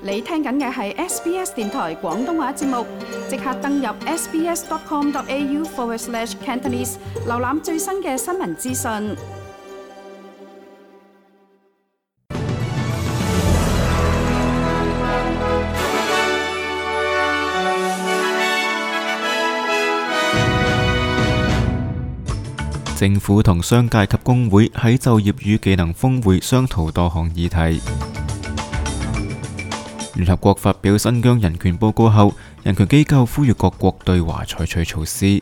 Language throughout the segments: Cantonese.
你聽緊嘅係 SBS 電台廣東話節目，即刻登入 sbs.com.au/Cantonese 瀏覽最新嘅新聞資訊。政府同商界及工會喺就業與技能峰會商討多項議題。聯合國發表新疆人權報告後，人權機構呼籲各國對華採取措施。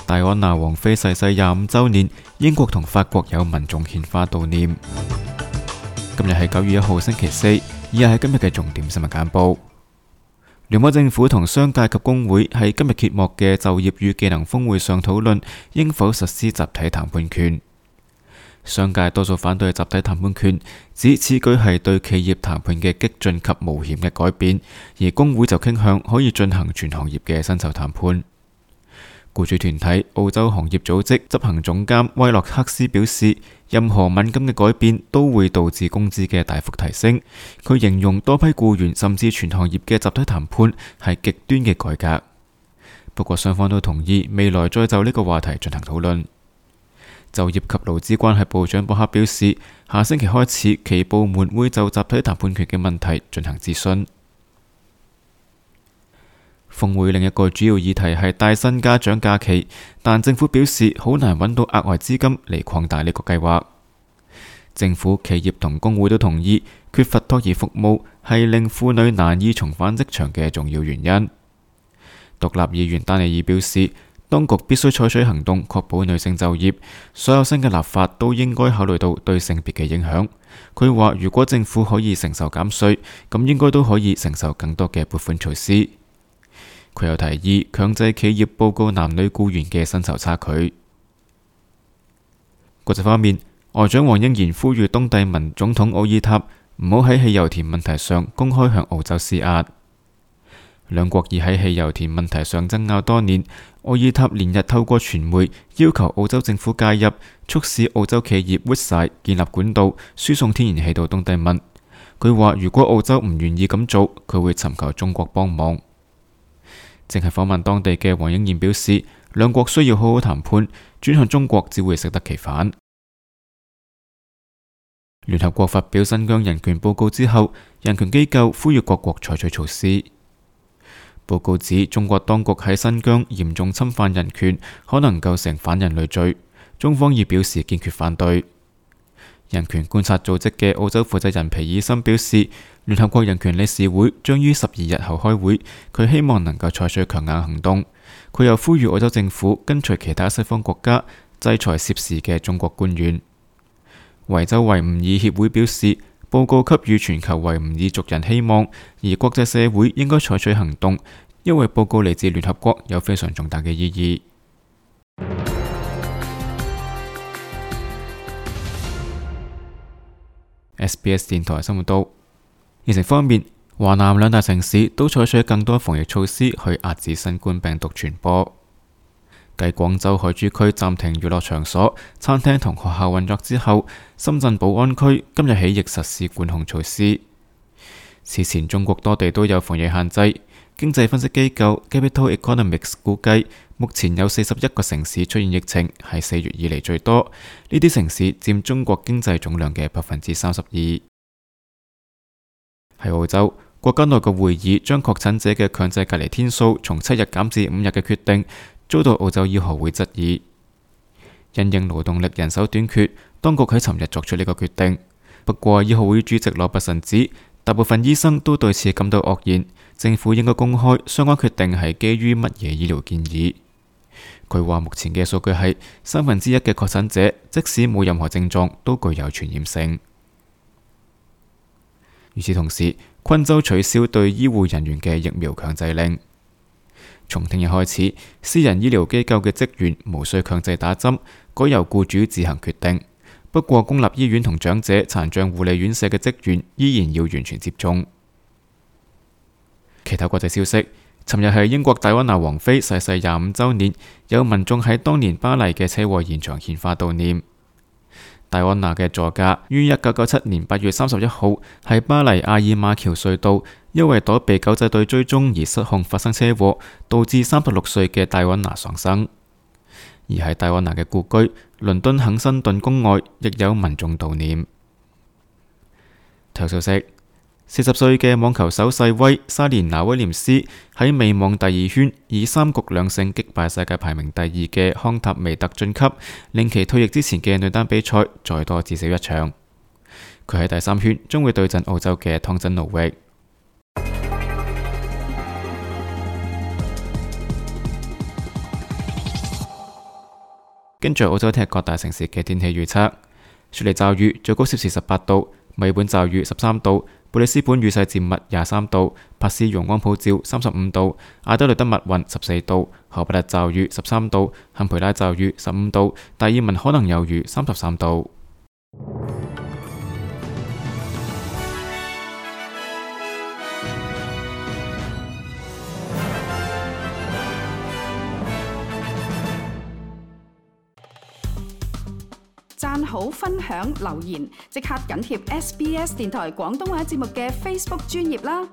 戴安娜王妃逝世25週年，英國同法國有民眾獻花悼念。今日係9月1號星期四，以下係今日嘅重點新聞簡報。聯邦政府同商界及工會喺今日揭幕嘅就業與技能峰會上討論應否實施集體談判權。商界多數反對集體談判權，指此舉係對企業談判嘅激進及冒險嘅改變，而工會就傾向可以進行全行業嘅薪酬談判。僱主團體澳洲行業組織執行總監威洛克斯表示，任何敏感嘅改變都會導致工資嘅大幅提升。佢形容多批僱員甚至全行業嘅集體談判係極端嘅改革。不過雙方都同意未來再就呢個話題進行討論。就業及勞資關係部長博克表示，下星期開始其部門會就集體談判權嘅問題進行諮詢。峰會另一個主要議題係帶薪家長假期，但政府表示好難揾到額外資金嚟擴大呢個計劃。政府、企業同工會都同意，缺乏托兒服務係令婦女難以重返職場嘅重要原因。獨立議員丹尼爾表示，當局必須採取行動，確保女性就業。所有新嘅立法都應該考慮到對性別嘅影響。佢話，如果政府可以承受減稅，咁應該都可以承受更多嘅撥款措施。佢又提議強制企業報告男女僱員嘅薪酬差距。國際方面，外長黃英賢呼籲東帝汶總統奧爾塔唔好喺汽油田問題上公開向澳洲施壓。兩國已喺汽油田問題上爭拗多年，奧爾塔連日透過傳媒要求澳洲政府介入，促使澳洲企業 Woodside 建立管道輸送天然氣到東帝汶。佢話如果澳洲唔願意咁做，佢會尋求中國幫忙。正係訪問當地嘅黃英賢表示，兩國需要好好談判，轉向中國只會適得其反。聯合國發表新疆人權報告之後，人權機構呼籲各國採取措施。報告指中國當局喺新疆嚴重侵犯人權，可能構成反人類罪，中方已表示堅決反對。人權觀察組織嘅澳洲負責人皮爾森表示，聯合國人權理事會將於12日後開會，佢希望能夠採取強硬行動。佢又呼籲澳洲政府跟隨其他西方國家制裁涉事嘅中國官員。維州維吾爾協會表示，報告給予全球維吾爾族人希望，而國際社會應該採取行動，因為報告嚟自聯合國，有非常重大嘅意義。SBS 電台生活道。疫情方面，華南兩大城市都採取更多防疫措施去遏止新冠病毒傳播。繼廣州海珠區暫停娛樂場所、餐廳同學校運作之後，深圳寶安區今日起亦實施管控措施。此前中國多地都有防疫限制。經濟分析機構 Capital Economics 估計，目前有41個城市出現疫情，係4月以嚟最多。呢啲城市佔中國經濟總量嘅32%。喺澳洲，國家內閣會議將確診者嘅強制隔離天數從7日減至5日嘅決定，遭到澳洲醫學會質疑。因應勞動力人手短缺，當局喺尋日作出呢個決定。不過，醫學會主席羅拔臣指，大部分醫生都對此感到愕然。政府應該公開相關決定係基於乜嘢醫療建議。佢話目前嘅數據係1/3嘅確診者，即使冇任何症狀，都具有傳染性。與此同時，昆州取消對醫護人員嘅疫苗強制令。從聽日開始，私人醫療機構嘅職員無需強制打針，改由僱主自行決定。不過，公立醫院同長者殘障護理院舍嘅職員依然要完全接種。其他國際消息，尋日係英國戴安娜王妃逝世25週年，有民眾喺當年巴黎嘅車禍現場獻花悼念。戴安娜嘅座駕於1997年8月31號喺巴黎阿爾馬橋隧道，因為躲避狗仔隊追蹤而失控發生車禍，導致36歲嘅戴安娜喪生。而喺戴安娜嘅故居倫敦肯辛頓宮外，亦有民眾悼念。體育消息：40歲嘅網球手細威莎蓮娜威廉斯喺美網第2圈以3局2勝擊敗世界排名第2嘅康塔維特晉級，令其退役之前嘅女單比賽再多至少1場。佢喺第3圈將會對陣澳洲嘅湯真奴域。跟住澳洲聽日各大城市嘅天氣預測：雪梨驟雨，最高攝氏18度；墨爾本驟雨13度；布里斯本雨勢漸密23度；珀斯陽光普照35度；阿德萊德密雲14度；荷伯特驟雨13度；坎培拉驟雨15度；達爾文可能有雨33度。讚好、分享、留言，即刻緊貼SBS 電台廣東話節目嘅 Facebook 專頁啦！